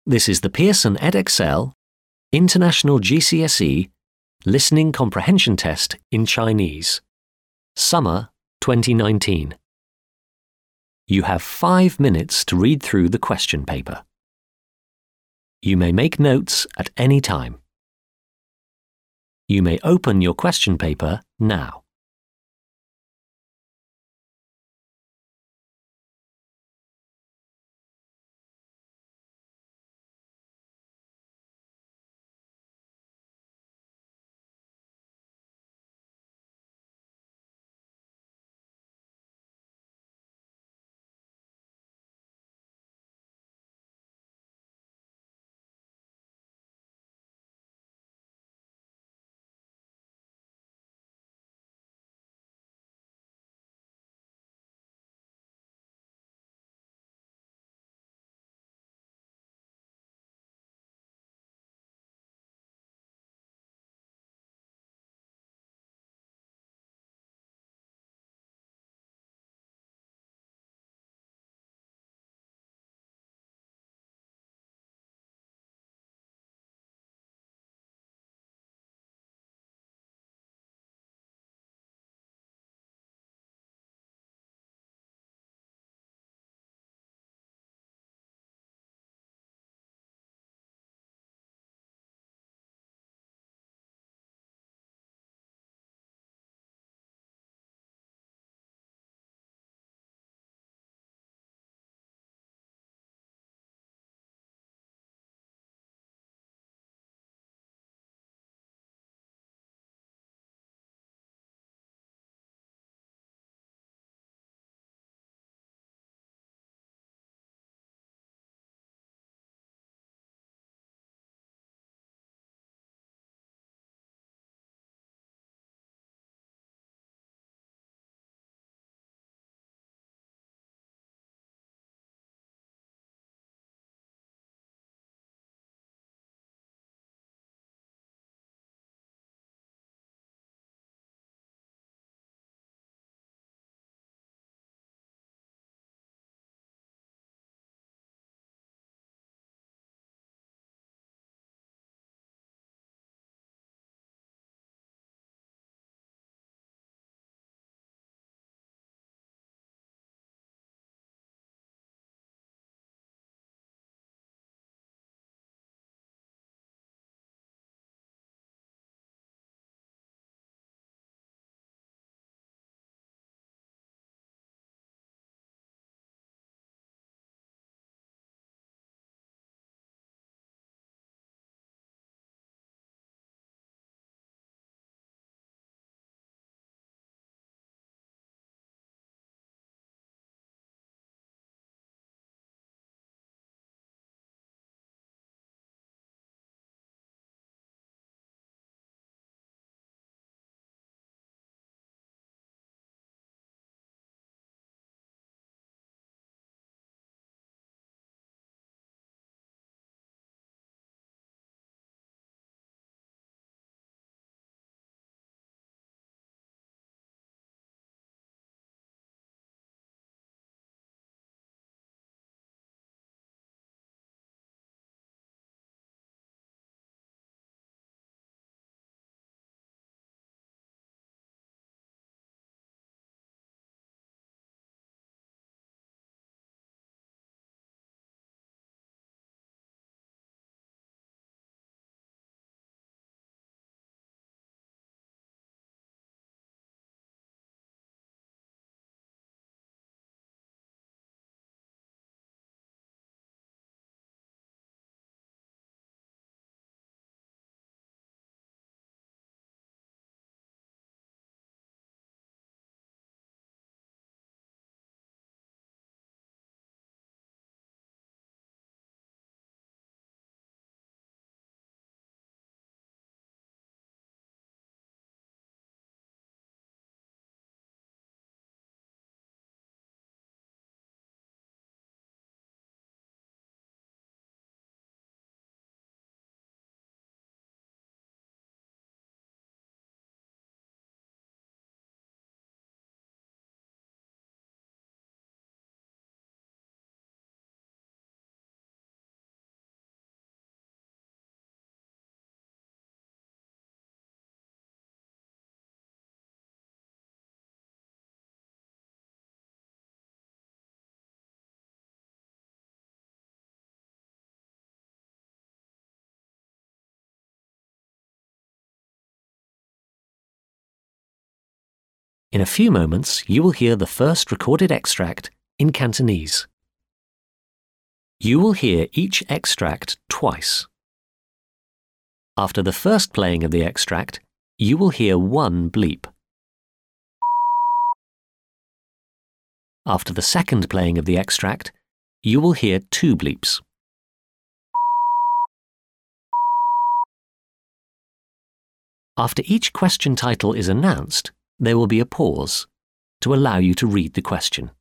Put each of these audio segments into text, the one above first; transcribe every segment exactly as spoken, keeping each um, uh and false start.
This is the Pearson Edexcel International G C S E Listening Comprehension Test in Chinese, Summer twenty nineteen. You have five minutes to read through the question paper. You may make notes at any time. You may open your question paper now. In a few moments, you will hear the first recorded extract in Cantonese. You will hear each extract twice. After the first playing of the extract, you will hear one bleep. After the second playing of the extract, you will hear two bleeps. After each question title is announced, there will be a pause to allow you to read the question.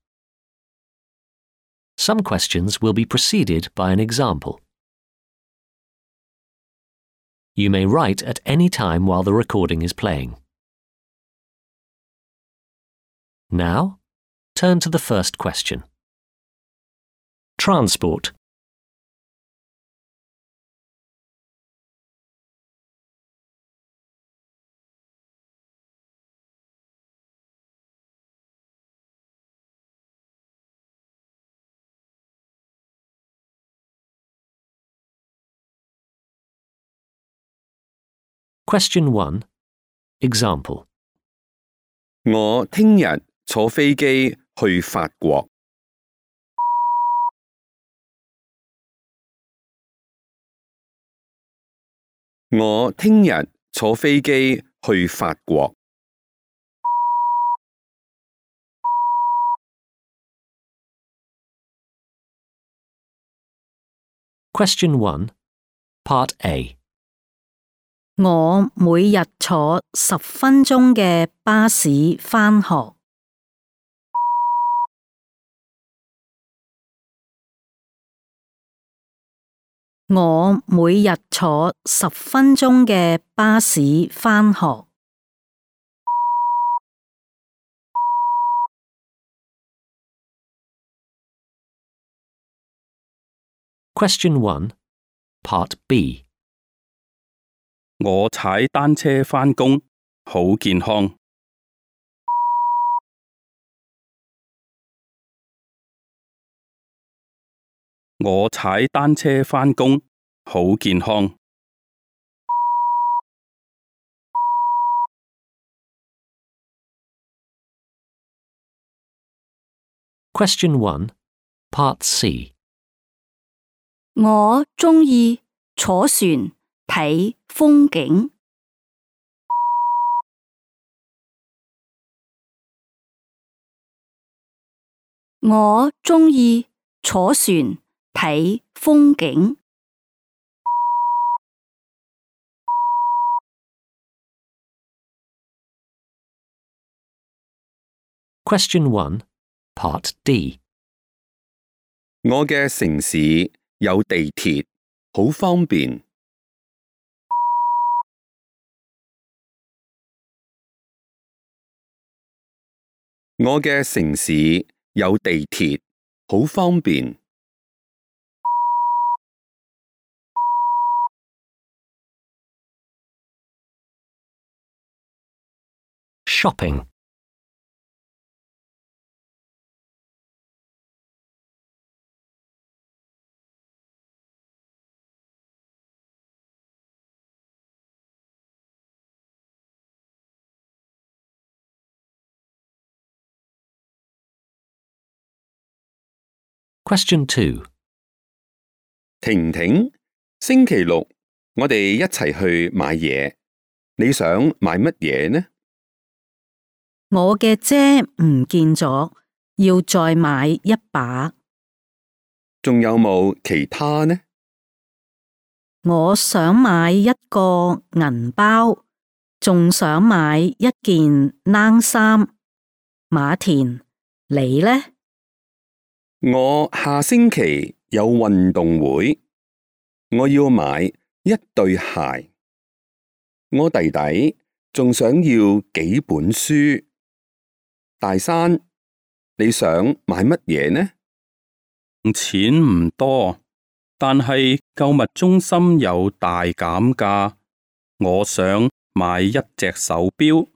Some questions will be preceded by an example. You may write at any time while the recording is playing. Now, turn to the first question. Transport. Question one. Example. 我聽日坐飛機去法國。我聽日坐飛機去法國。Question one. Part A. 我每日坐十分鐘嘅巴士返學。我每日坐十分鐘嘅巴士返學。Question one. Part B. 我踩單車返工，好健康。我踩單車返工，好健康。Question one. Part C. 我鍾意坐船睇風景。我鍾意坐船睇風景。Question one. Part D. 我嘅城市有地鐵，好方便。我嘅城市有地鐵，好方便。Shopping. Question two. 婷婷，星期六我哋一齊去買嘢，你想買乜嘢呢？我嘅遮唔見咗，要再買一把。仲有冇其他呢？我想買一個銀包，仲想買一件冷衫。馬田，你呢？我下星期有運動會，我要買一對鞋。我弟弟仲想要幾本書。大山，你想買乜嘢呢？錢唔多，但係購物中心有大減價，我想買一隻手錶。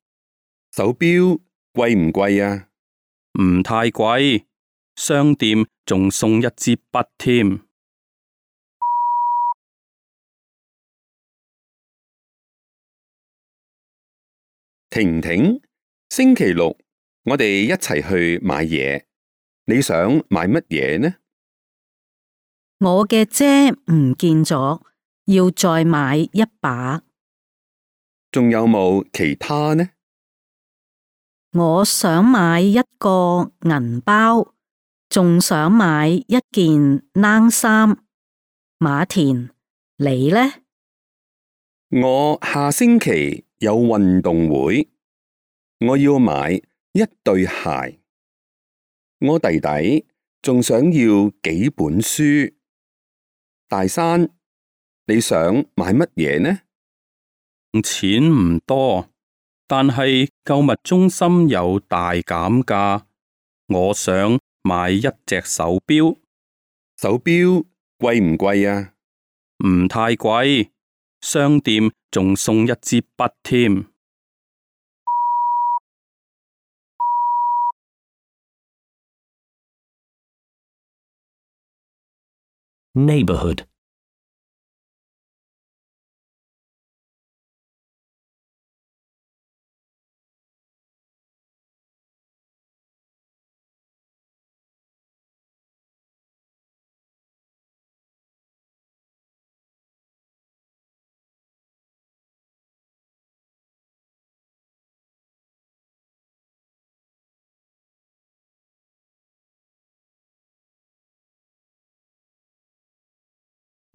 手錶貴唔貴啊？唔太貴。商店仲送一支筆添。婷婷，星期六我哋一齊去買嘢，你想買乜嘢呢？我嘅遮唔見咗，要再買一把。仲有冇其他呢？我想買一個銀包，仲想買一件冷衫。馬田，你呢？我下星期有運動會，我要買一對鞋。我弟弟仲想要幾本書。大山，你想買乜嘢呢？錢唔多，但係購物中心有大減價，我想買一隻手錶。手錶貴唔貴啊？唔太貴，商店仲送一支筆添。Neighborhood.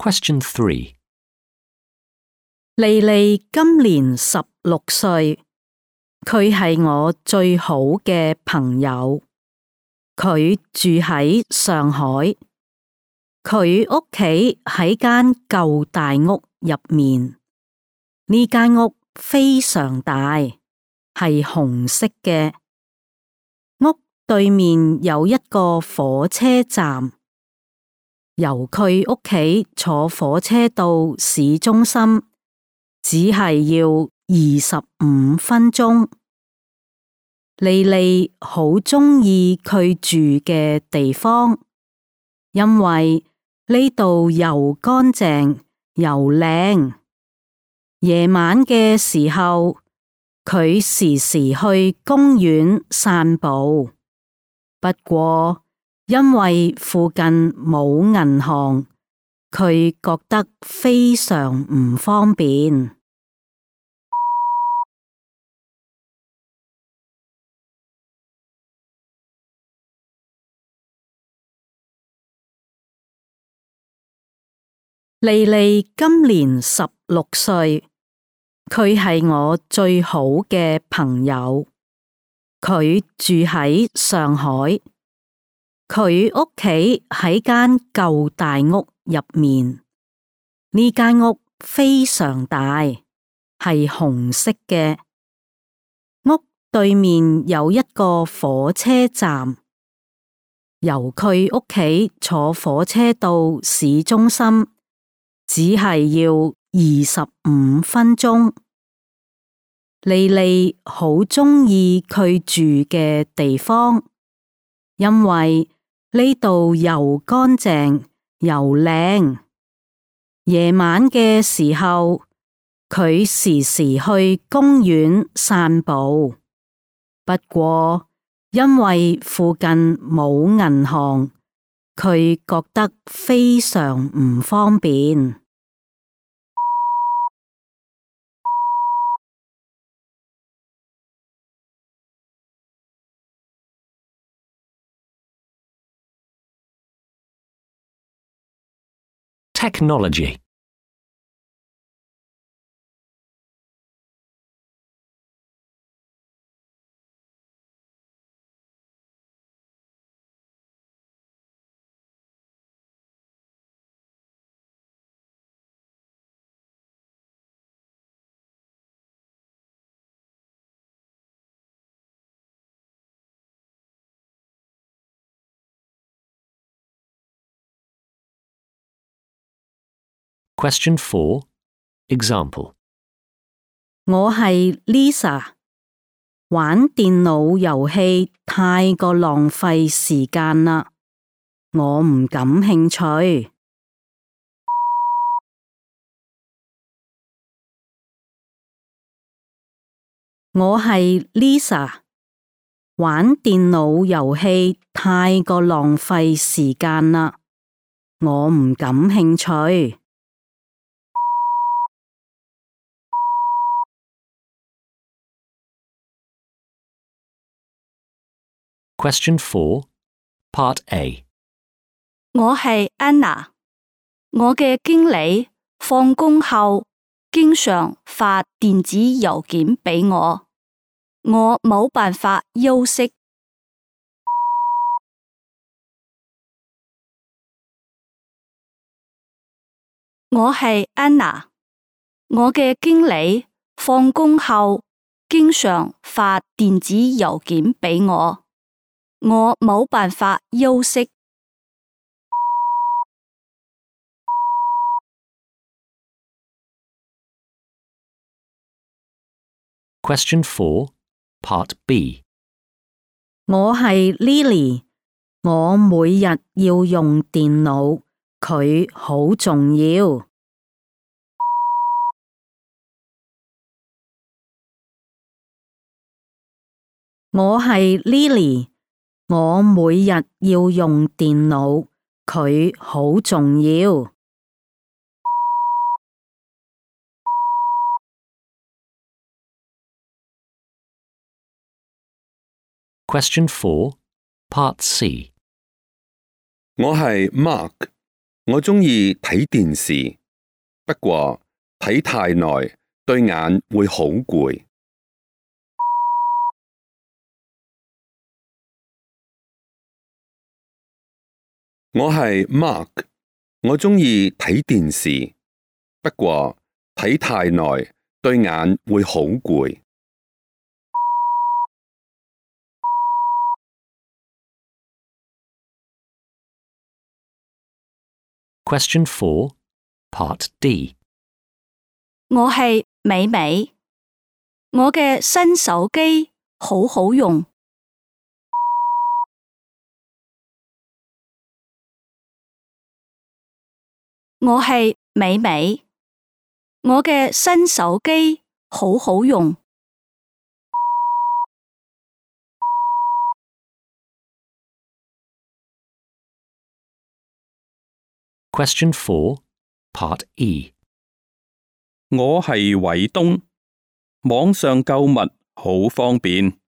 Question three. 莉莉今年十六歲，佢係我最好嘅朋友。佢住喺上海，佢屋企喺間舊大屋入面。呢間屋非常大，係紅色嘅。屋對面有一個火車站，由佢屋企坐火車到市中心，只係要二十五分鐘。莉莉好鍾意佢住嘅地方，因為呢度又乾淨又靚。夜晚嘅時候，佢時時去公園散步。不過因為附近冇銀行，佢覺得非常唔方便。莉莉今年十六歲，佢係我最好嘅朋友。佢住喺上海，佢屋企喺間舊大屋入面。呢間屋非常大，係紅色嘅。屋對面有一個火車站，由佢屋企坐火車到市中心，只係要二十五分鐘。莉莉好鍾意佢住嘅地方，因為呢度又乾淨又靚。夜晚嘅時候，佢時時去公園散步。不過因為附近冇銀行，佢覺得非常唔方便。Technology. Question four. Example. 我係 Lisa， 玩電腦遊戲太過浪費時間啦，我唔感興趣。我係 Lisa，玩電腦遊戲太過浪費時間啦，我唔感興趣。Question four, Part A. 我係 Anna， 我嘅經理放工後經常發電子郵件俾我，我冇辦法休息。我係 Anna， 我嘅經理放工後經常發電子郵件俾我，我冇辦法休息。Question four, Part B. 我係 Lily， 我每日要用電腦，佢好重要。我係 Lily， 我每日要用電腦，佢好重要。Question four, Part C. 我係 Mark， 我鍾意睇電視，不過睇太耐對眼會好攰。我係 Mark， 我鍾意睇電視，不過睇太耐對眼會好攰。Question four, Part D. 我係美美，我嘅新手機好好用。我係美美，我嘅新手機好好用。Question four, Part E. 我係偉東，網上購物好方便，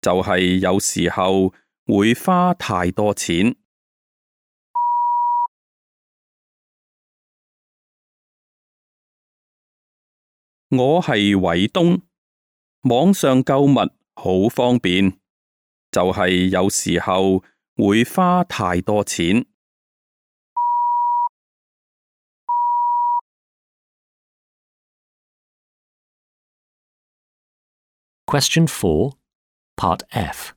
就係有時候會花太多錢。我係偉東，網上購物好方便，就係有時候會花太多錢。Question four, Part F.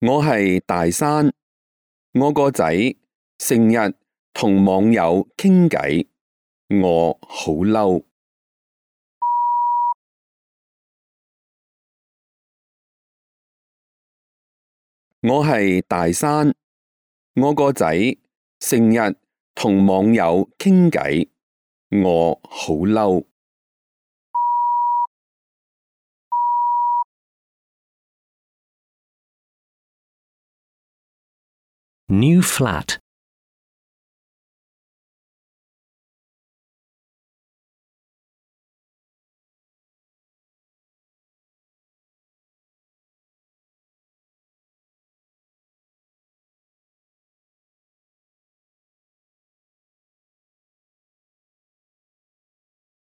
我係大山，我個仔成日同網友傾偈，我好嬲。我係大山，我個仔成日同網友傾偈，我好嬲。New flat.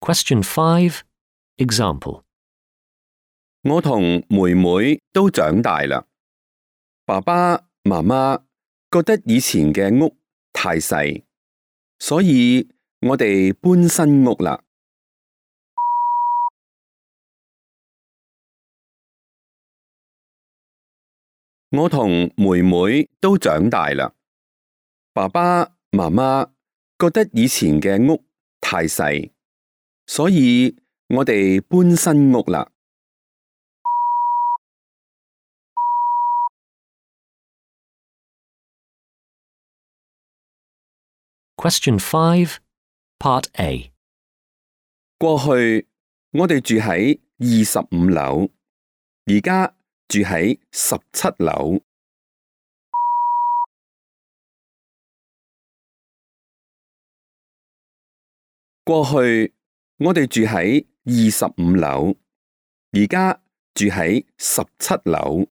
Question five, Example. 我同妹妹都長大啦，爸爸媽媽覺得以前嘅屋太細，所以我哋搬新屋啦。我同妹妹都長大啦，爸爸媽媽覺得以前嘅屋太細，所以我哋搬新屋啦。Question five, Part A. 過去我哋住喺二十五樓，而家住喺十七樓。過去我哋住喺二十五樓，而家住喺十七樓。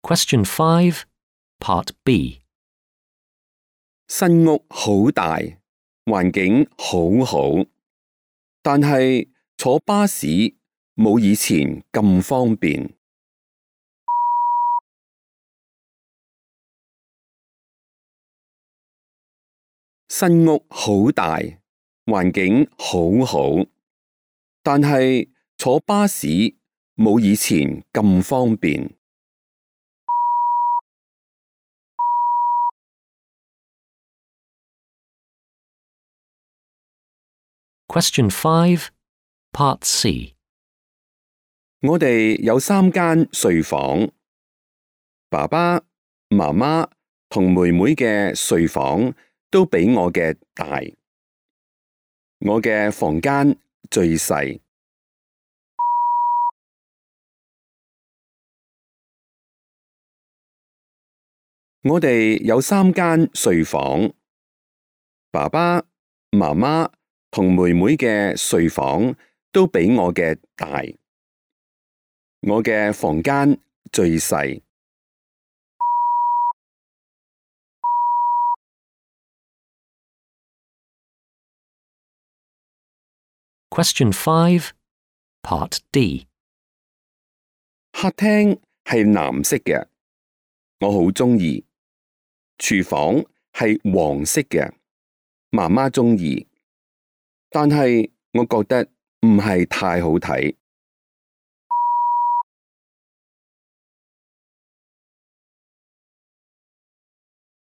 Question five, Part B. 新屋好大，環境好好，但係坐巴士冇以前咁方便。新屋好大，環境好好，但係坐巴士冇以前咁方便。Question five, Part C. 我哋有三間睡房，爸爸、媽媽同妹妹嘅睡房都比我嘅大，我嘅房間最細。我哋有三間睡房，爸爸、媽媽同妹妹嘅睡房都比我嘅大，我嘅房間最細。Question five, Part D. 客廳係藍色嘅，我好鍾意。廚房係黃色嘅，媽媽鍾意，但係我覺得唔係太好睇。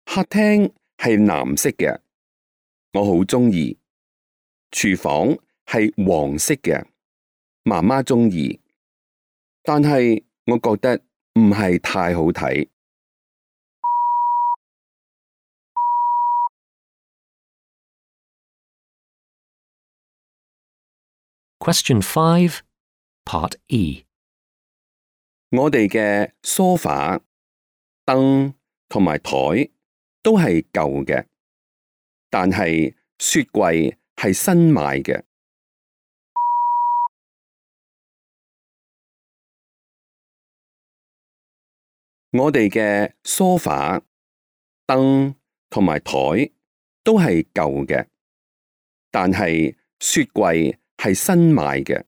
客廳係藍色嘅，我好鍾意。廚房係黃色嘅，媽媽鍾意，但係我覺得唔係太好睇。Question five, Part E. 我哋嘅梳化、燈同埋枱都係舊嘅，但係雪櫃係新買嘅。我哋嘅梳化、燈同埋枱都係舊嘅，但係雪櫃係新買嘅。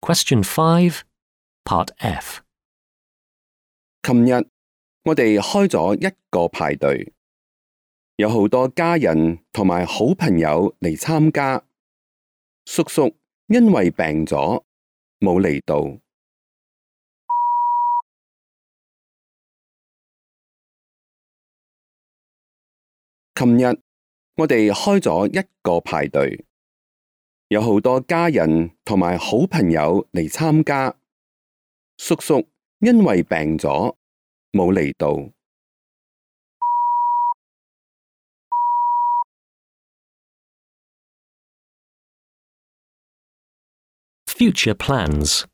Question five, Part F. 琴日我哋開咗一個派對，有好多家人同埋好朋友嚟參加。叔叔因為病咗，冇嚟到。琴日我哋開咗一個派對，有好多家人同埋好朋友嚟參加。叔叔因為病咗，冇嚟到。Future plans.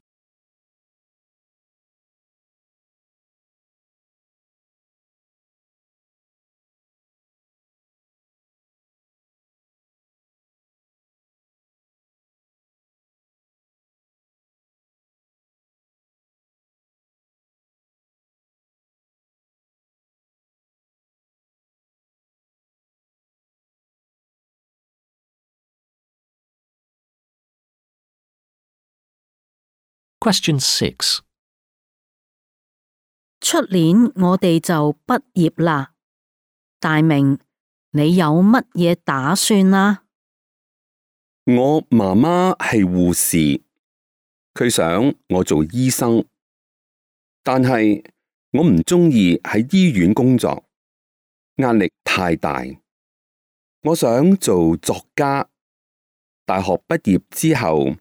Question six. 出年我哋就畢業啦，大明，你有乜嘢打算啊？我媽媽係護士，佢想我做醫生，但係我唔鍾意喺醫院工作，壓力太大。我想做作家，大學畢業之後，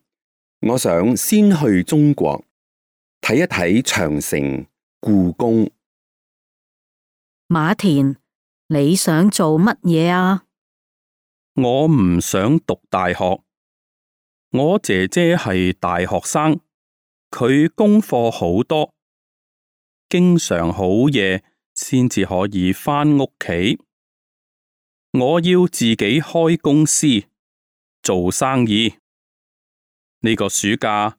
我想先去中國，睇一睇長城、故宮。馬田，你想做乜嘢啊？我唔想讀大學。我姐姐係大學生，佢功課好多，經常好夜先至可以返屋企。我要自己開公司做生意。呢個暑假，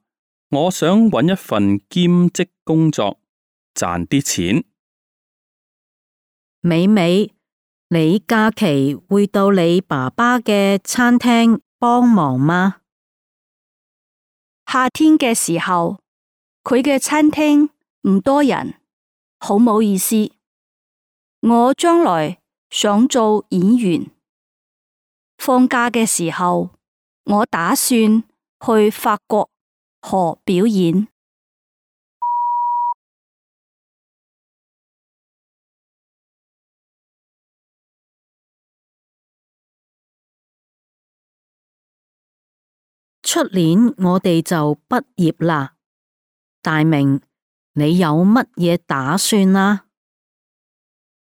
我想搵一份兼職工作，賺啲錢。美美，你假期會到你爸爸嘅餐廳幫忙嗎？夏天嘅時候，佢嘅餐廳唔多人，好冇意思。我將來想做演員。放假嘅時候，我打算去法國學表演。出年我哋就畢業啦。大明，你有乜嘢打算啊？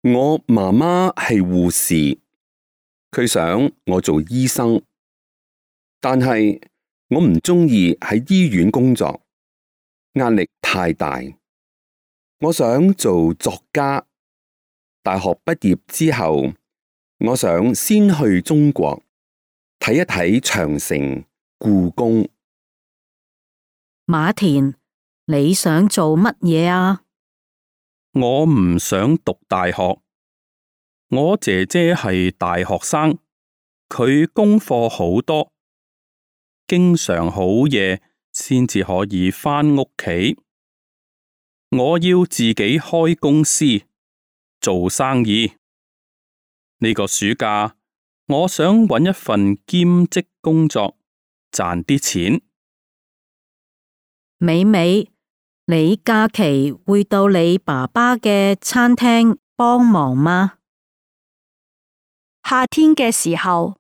我媽媽係護士，佢想我做醫生，但係我唔鍾意喺醫院工作，壓力太大。我想做作家。大學畢業之後，我想先去中國睇一睇長城、故宮。馬田，你想做乜嘢啊？我唔想讀大學。我姐姐係大學生，佢功課好多，經常好夜先至可以返屋企。我要自己開公司做生意。呢個暑假，我想搵一份兼職工作，賺啲錢。美美，你假期會到你爸爸嘅餐廳幫忙嗎？夏天嘅時候，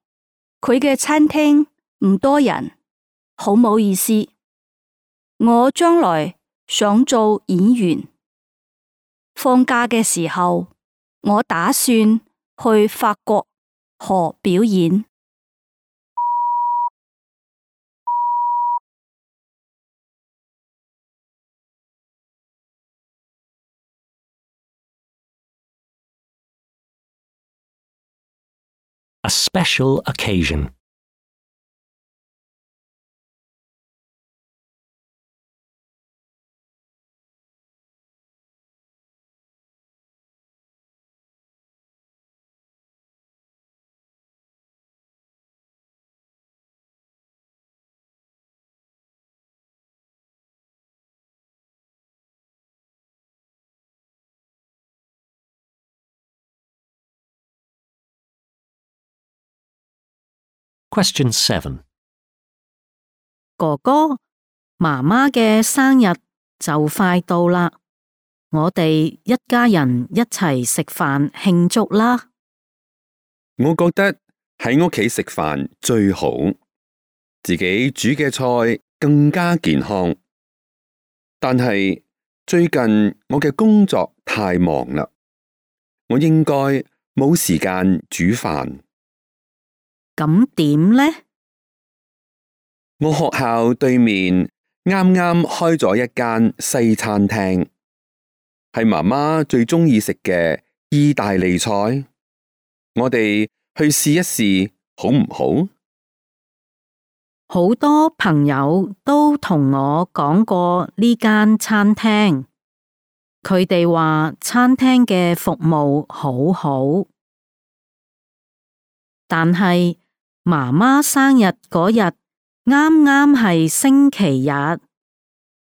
佢嘅餐廳唔多人，好冇意思。我將來想做演員。放假嘅時候，我打算去法國學表演。A special occasion. Question seven. 哥哥，媽媽嘅生日就快到啦，我哋一家人一齊食飯慶祝啦。我覺得喺屋企食飯最好，自己煮嘅菜更加健康。但係最近我嘅工作太忙啦，我應該冇時間煮飯。咁點呢？我學校對面啱啱開咗一間西餐廳，係媽媽最鍾意食嘅意大利菜。我哋去試一試，好唔好？好多朋友都同我講過呢間餐廳，佢哋話餐廳嘅服務好好，但係媽媽生日嗰日啱啱係星期日，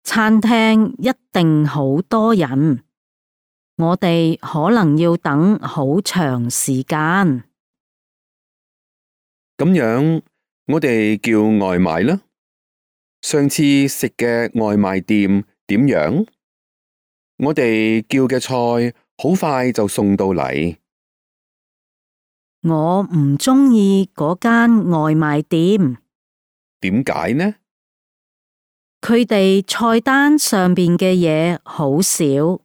餐廳一定好多人，我哋可能要等好長時間。咁樣，我哋叫外賣啦。上次食嘅外賣店點樣？我哋叫嘅菜好快就送到嚟。我唔鍾意嗰間外賣店。點解呢？佢哋菜單上邊嘅嘢好少，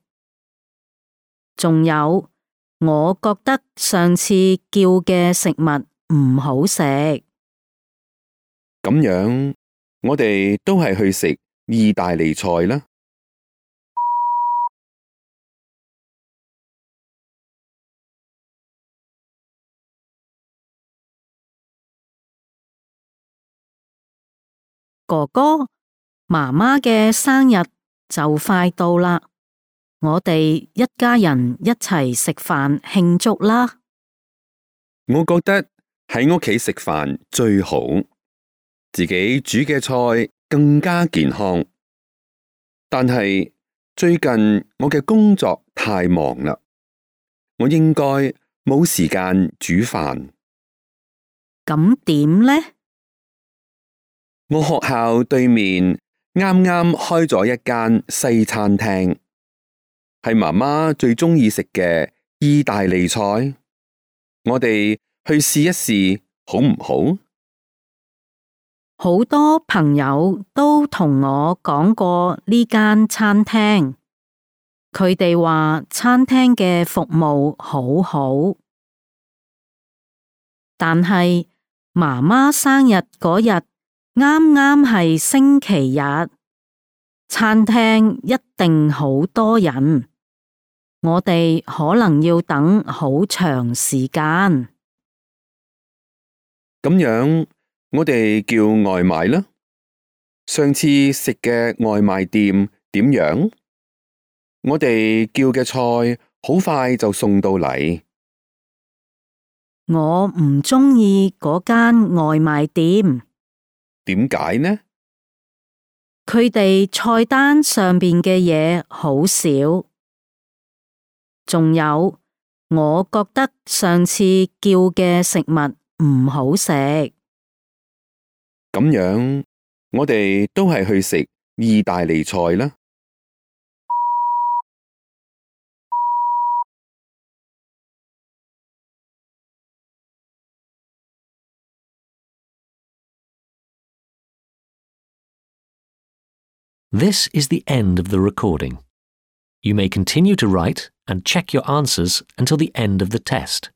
仲有，我覺得上次叫嘅食物唔好食。咁樣，我哋都係去食意大利菜啦。哥哥，媽媽嘅生日就快到啦，我哋一家人一齊食飯慶祝啦。我覺得喺屋企食飯最好，自己煮嘅菜更加健康。但係最近我嘅工作太忙啦，我應該冇時間煮飯。咁點呢？我學校對面啱啱開咗一間西餐廳，係媽媽最鍾意食嘅意大利菜。我哋去試一試，好唔好？好多朋友都同我講過呢間餐廳，佢哋話餐廳嘅服務好好，但係媽媽生日嗰日啱啱係星期日，餐廳一定好多人，我哋可能要等好長時間。咁樣，我哋叫外賣啦。上次食嘅外賣店點樣？我哋叫嘅菜好快就送到嚟。我唔鍾意嗰間外賣店。點解呢？佢哋菜單上邊嘅嘢好少，仲有，我覺得上次叫嘅食物唔好食。咁樣，我哋都係去食意大利菜啦。This is the end of the recording. You may continue to write and check your answers until the end of the test.